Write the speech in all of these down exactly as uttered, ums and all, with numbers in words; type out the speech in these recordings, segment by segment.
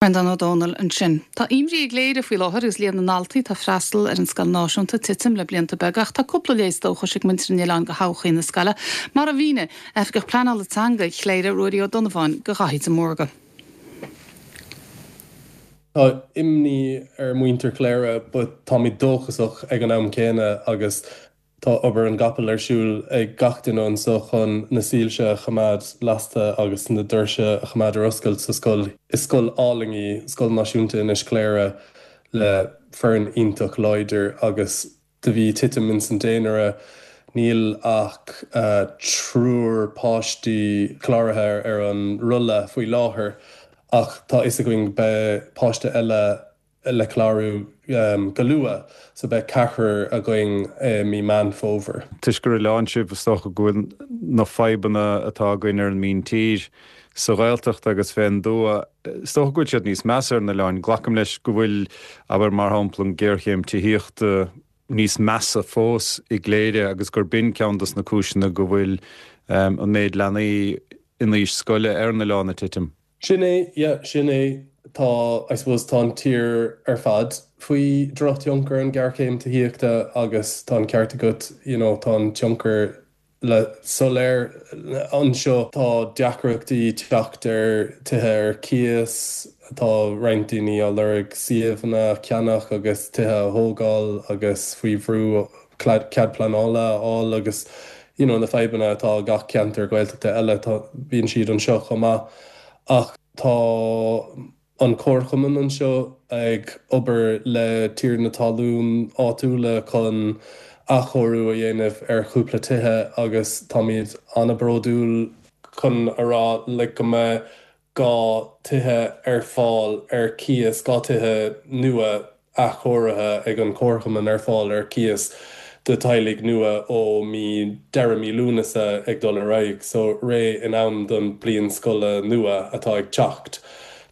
Breandán Ó Domhnaill ansin. Tá imní i gCléire faoi láthair agus líon na ndaltaí atá ag freastal ar an scoil náisiúnta ag titim le blianta beaga ach tá cúpla léas dóchais ag muintir an oileáin do thodhchaí na scoile, mar a mhínigh Oifigeach Pleanála Teanga Chléire Ruairí Ó Donnabháin do Dhaithí de Mórdha. Tá imní ar muintir Chléire, but táimid dóchasach ag an am céanna agus tá obair an gcapall ar siúl ag gach duine anseo chun na soilse a choimeád lasta agus na doirse a choimeád ar oscailt sa scoil. Is scoil álainn í Scoil Náisiúnta Inis Cléire le foireann iontach láidir agus de bhí titim in san daonra níl ach uh, triúr páistí cláraithe ar an rolla faoi láthair ach tá a fhios againn beidh páiste eile le clárú um, go luath so beidh ceathrar againn uh, mí Meán Fómhair. Toisc gur oileán sibh is dócha go bhfuil na fadhbanna atá againn ar an míntír sa Ghaeltacht agus fén dtuath is dócha go bhfuil siad níos measa ar na hoileáin. Glacaim leis go bhfuil abair mar shampla an géarchéim tithíochta níos measa fós i gCléire agus gur b'in ceann dos na cúiseanna go bhfuil um, an méid leanaí in aois scoile ar na hoileáin ag titim. Sin é yeah, sin é tá I suppose tá an tír ar fad faoi drochthionchar an ghéarchéim tithíochta agus tá an ceart agat you know, tá an tionchar le soiléir anseo tá deacrachtaí teacht ar tithe ar cíos tá roinnt daoine á lorg suíomhanna ceannach agus tithe a thógáil agus faoi bhrú cead pleanála a fháil agus you know, na fadhbanna atá gach ceantar Gaeltachta eile bíonn siad anseo chomh maith ach tá an comharchumann anseo ag obair le tiarnaí talún áitiúla chun athchóiriú a dhéanamh ar chúpla tithe agus táimid an-bhródúil chun a rá le go mbeidh dhá tithe ar fáil ar cíos dhá tithe nua athchóirithe ag an comharchumann ar fáil ar cíos do teaghlaigh nua ó mí deireadh mí Lúnasa ag dul ar aghaidh, so réidh in am don bliain scoile nua atá ag teacht.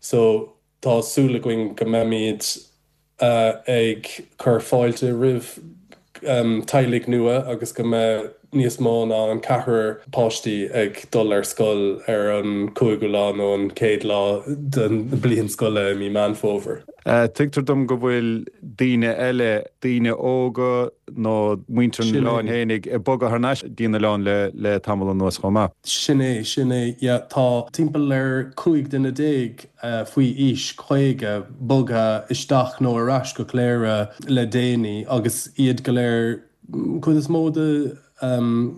So tá súil againn go mbeimid uh, ag cur fáilte roimh um, teaghlaigh nua agus go mbeidh níos mó ná an ceathrar páistí ag dul ar scoil ar an cúigiú lá nó an céad lá den bliain scoile mí Meán Fómhair. Uh, Tuigtear dom go bhfuil daoine eile daoine óga nó muintir an oileáin fhéinig ag bogadh thar n-ais dtí an oileán le le tamall anuas chomh maith. Sin é sin é yeah, tá timpeall ar cúig duine déag uh, faoi aois caoga bogtha isteach nó ar ais go Cléire le déanaí agus iad go léir chuid is mó de um,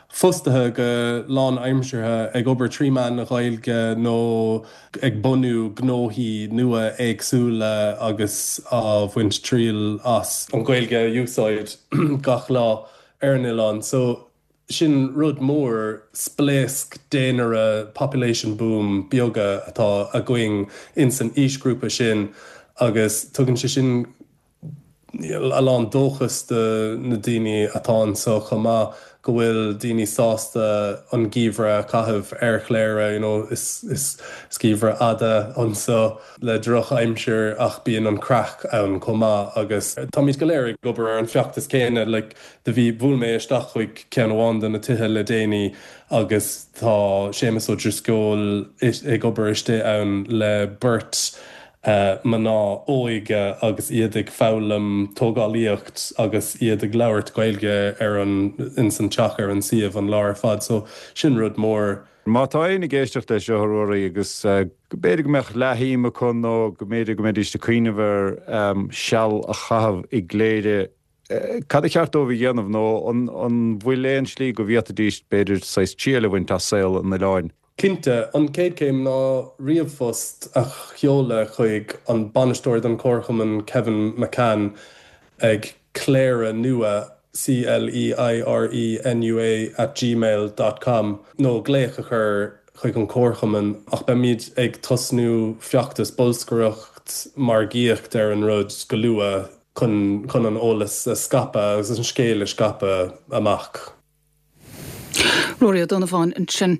fostaithe go lánaimseartha ag obair trí mheán na Gaeilge nó ag bunú gnóthaí nua éagsúla agus á bhaint triail as an Ghaeilge a úsáid gach lá ar an oileán. So sin rud mór spléasc daonra population boom beaga atá againn in san aoisghrúpa sin agus tugann sé sin a lán dóchas do na daoine atá anseo chomh maith go bhfuil daoine sásta an geimhreadh a chaitheamh ar Chléire you know, is, is, is geimhreadh fada anseo le drochaimsir ach bíonn an craic ann chomh maith agus táimid go léir ag obair ar an feachtas céanna like, do bhí bhuail mé isteach chuig ceann amháin de na tithe le déanaí agus tá Séamus Ó Drisceoil ag obair istigh ann le beirt uh, mná óga agus iad ag foghlaim tógálaíocht agus iad ag labhairt Gaeilge ar an in san teach ar an suíomh an lá ar fad, so sin rud mór. Má tá éinne ag éisteacht leis seo ruirí agus uh, b'fhéidir go mbeadh leathshuim acu nó go mb'fhéidir go mbeidís ag cuimhneamh ar um, seal a chaitheamh i gCléire uh, cad ba cheart dóibh a dhéanamh nó an bhfuil aon slí go bhféadfaidís b'fhéidir saghas triail a bhaint as saol an oileáin. Cinnte an chéad chéim ná ríomhphost a sheoladh chuig an bainisteoir don chomharchumann Kevin McCann ag Cléire nua C L E I R E N U A at gmail.com nó glaoch a chur chuig an comharchumann ach beimid ag tosnú feachtas bolscaireacht margaíocht ar an rud go luath chun chun an eolas a scaipeadh agus an scéal a scaipeadh amach. Ruairí Ó Donnabháin ansin.